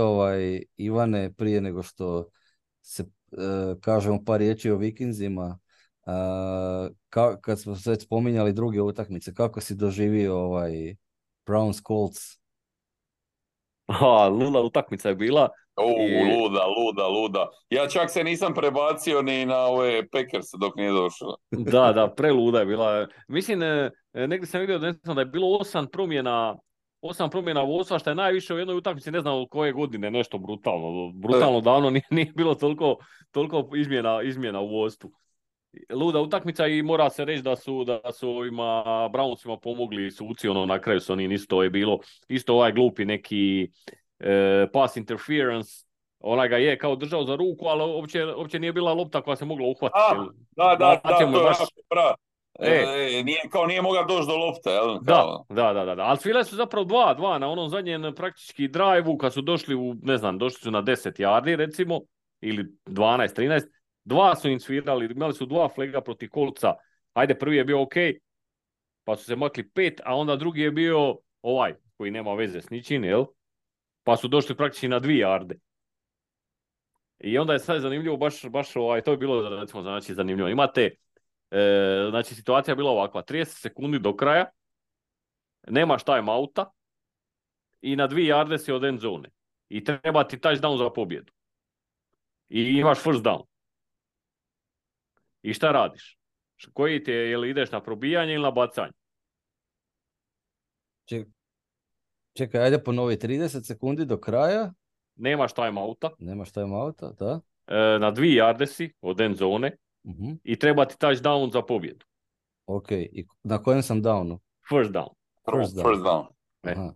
Ivane, prije nego što se kažemo par riječi o Vikingsima, kad smo već spominjali druge utakmice, kako si doživio Browns Colts? Luda utakmica je bila. Luda. Ja čak se nisam prebacio ni na ove Packers dok nije došlo. Da, preluda je bila. Mislim, negdje sam vidio da je bilo 8 promjena vodstva, što je najviše u jednoj utakmici, ne znam od koje godine, nešto brutalno davno nije bilo toliko izmjena u vodstvu. Luda utakmica i mora se reći da su ovima Brownsima pomogli suci, na kraju su oni isto je bilo, isto ovaj glupi neki pass interference, ona ga je kao držao za ruku, ali uopće nije bila lopta koja se mogla uhvatiti. Da, to je nije mogao doći do lopte, jel? Da, ali svile su zapravo 2-2 na onom zadnjem praktički drive-u, kad su došli došli su na 10 yardi recimo, ili 12-13, 2 su im svirali, imali su 2 flega protiv Kolca, ajde prvi je bio ok, pa su se makli 5, a onda drugi je bio ovaj, koji nema veze s ničim, jel? Pa su došli praktički na 2 yarde. I onda je sad zanimljivo, baš to je bilo, recimo, znači, zanimljivo. Imate, znači, situacija je bila ovakva, 30 sekundi do kraja, nemaš timeouta i na 2 yarde si od end zone. I treba ti touchdown za pobjedu. I imaš first down. I šta radiš? Koji ti je, jel ideš na probijanje ili na bacanje? Čekaj, ajde ponovi, 30 sekundi do kraja. Nemaš timeouta. Nemaš timeouta, da. Na 2 yarde si od end zone i treba ti touchdown za pobjedu. Ok, i na kojem sam downu? First down. First down. Aha.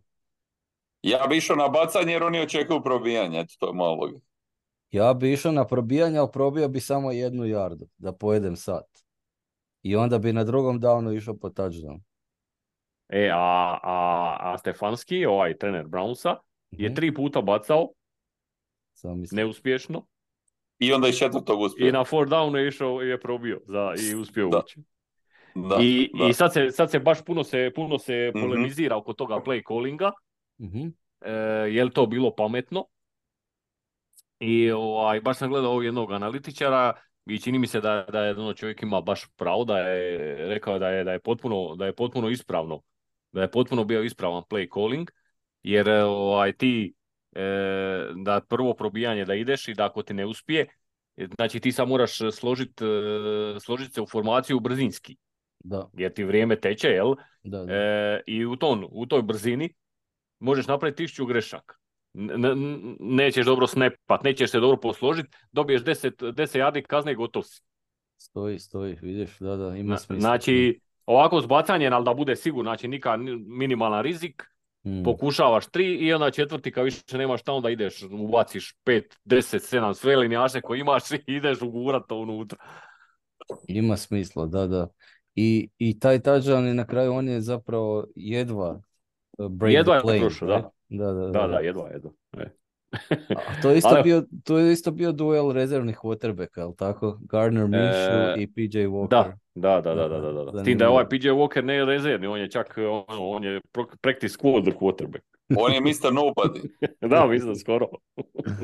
Ja bi išao na bacanje jer oni očekuju probijanje, eto, to je malo logika. Ja bi išao na probijanje, ali probio bi samo 1 yardu, da pojedem sat. I onda bi na drugom downu išao po touchdown. A Stefanski, ovaj trener Brownsa, je 3 puta bacao, neuspješno. I onda iz 4. uspio. I na 4 down je išao i je probio i uspio ući. Da. I sad se baš puno se polemizira oko toga play callinga. Je li to bilo pametno? I baš sam gledao jednog analitičara i čini mi se da je čovjek ima baš pravo, da je rekao da je potpuno ispravno, da je potpuno bio ispravan play calling, jer ti da prvo probijanje da ideš i da ako ti ne uspije, znači ti sad moraš složiti se u formaciju brzinski. Da. Jer ti vrijeme teče, jel? Da. I u toj brzini možeš napraviti 1000 grešaka. Nećeš dobro snapat, nećeš se dobro posložiti, dobiješ 10 yardi kazne i gotov si. Stoji, vidiš, da, ima smisla. Znači, ovako zbacanje, ali da bude sigurno, znači minimalan rizik, pokušavaš 3 i onda 4. kad više nemaš šta, onda ideš, ubaciš 5, 10, 7 sve linijaše koje imaš i ideš ugurat to unutra. Ima smisla, da. I taj touchdown je na kraju, on je zapravo jedva break the plane. Prošao, right? Da, jedva. A to je isto bio duel rezervnih quarterbacka, ali tako? Gardner Minshew i PJ Walker. Da. S tim da je ovaj PJ Walker ne rezervni, on je čak on je practice squad quarterback. On je Mr. Nobody. Da, mislim skoro.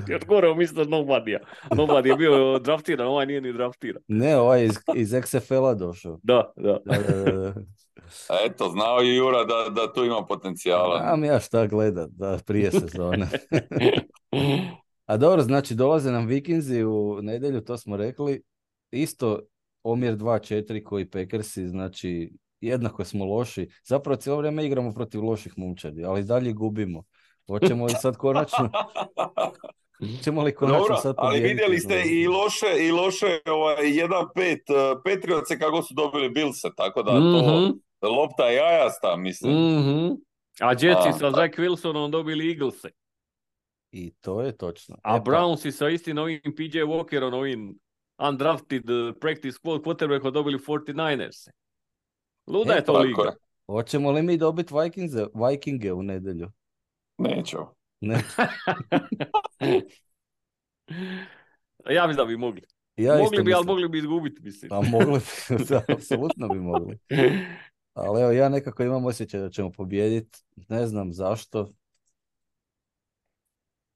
Još gore od Mr. Nobody-a. Nobody je bio draftiran, ovaj nije ni draftiran. Ne, ovaj je iz XFL-a došao. Da. Eto, znao je Jura da tu ima potencijala. Znam ja šta gledat, da, prije sezone. A dobro, znači dolaze nam Vikingsi u nedjelju, to smo rekli. Isto omjer 2-4 koji Packersi, znači jednako smo loši. Zapravo cijelo vrijeme igramo protiv loših momčadi, ali dalje gubimo. Hoćemo li sad konačno... Dobro, ali vidjeli ste i loše 1-5 Patriotse kako su dobili Billse, tako da to lopta je jajasta, mislim. A Jetsi sa Zach Wilsonom dobili Eaglese. I to je točno. A Brownsi sa istim ovim PJ Walkerom, ovim undrafted practice squad quarterbackom dobili 49ers. Luda je to liga. Hoćemo li mi dobiti Vikinge u nedjelju? Neću. Ne. Ja mislim da bi mogli. Mogli bi izgubiti, mislim. Pa mogli bi, apsolutno bi mogli. Ali evo, ja nekako imam osjećaj da ćemo pobijediti. Ne znam zašto.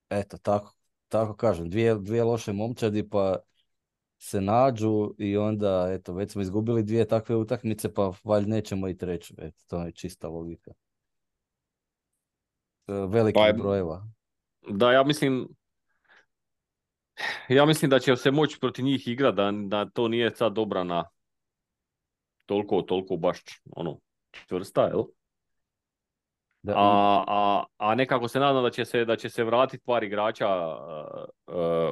Eto, tako kažem. Dvije loše momčadi pa se nađu i onda, eto, već smo izgubili 2 takve utakmice, pa valjda nećemo i 3. Eto, to je čista logika. Velikih brojeva. Da, ja mislim da će se moći protiv njih igrati, da to nije sad obrana toliko baš čvrsta, jel? A nekako se nadam da će se vratiti par igrača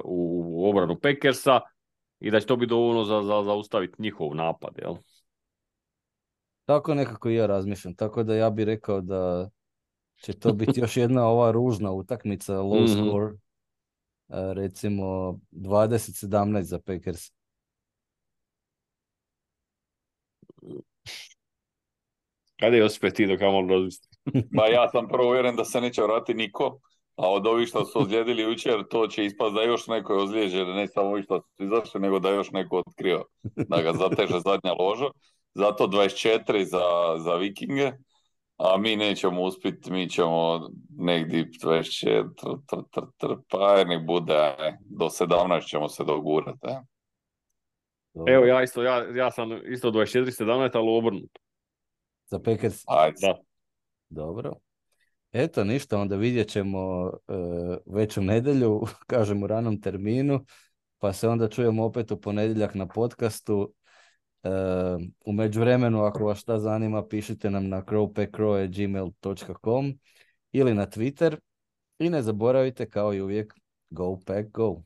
u obranu Packersa i da će to biti dovoljno za zaustaviti njihov napad, jel? Tako nekako i ja razmišljam, tako da ja bih rekao da će to biti još jedna ova ružna utakmica, low score, recimo 20-17 za Packers. Kada je Josipe ti dok ja malo razmislim? Ba ja sam prvo uvjeren da se neće vratiti niko A od ovih što su ozlijedili jučer, to će ispast da još neko je ozlijeđen, ne samo ovi što su izašli, nego da još neko otkrio da ga zateže zadnja loža. Zato 24 za Vikinge, a mi nećemo uspjeti, mi ćemo negdje 24, pa nek bude, do 17 ćemo se dogurati. Evo, ja sam isto 24-17, ali obrnuto. Za Packers? Ajde. Da. Dobro. Eto, ništa, onda vidjet ćemo već u nedjelju, kažem u ranom terminu, pa se onda čujemo opet u ponedjeljak na podcastu. U međuvremenu, ako vas šta zanima, pišite nam na crowpackcrow@gmail.com ili na Twitter i ne zaboravite, kao i uvijek, Go Pack Go!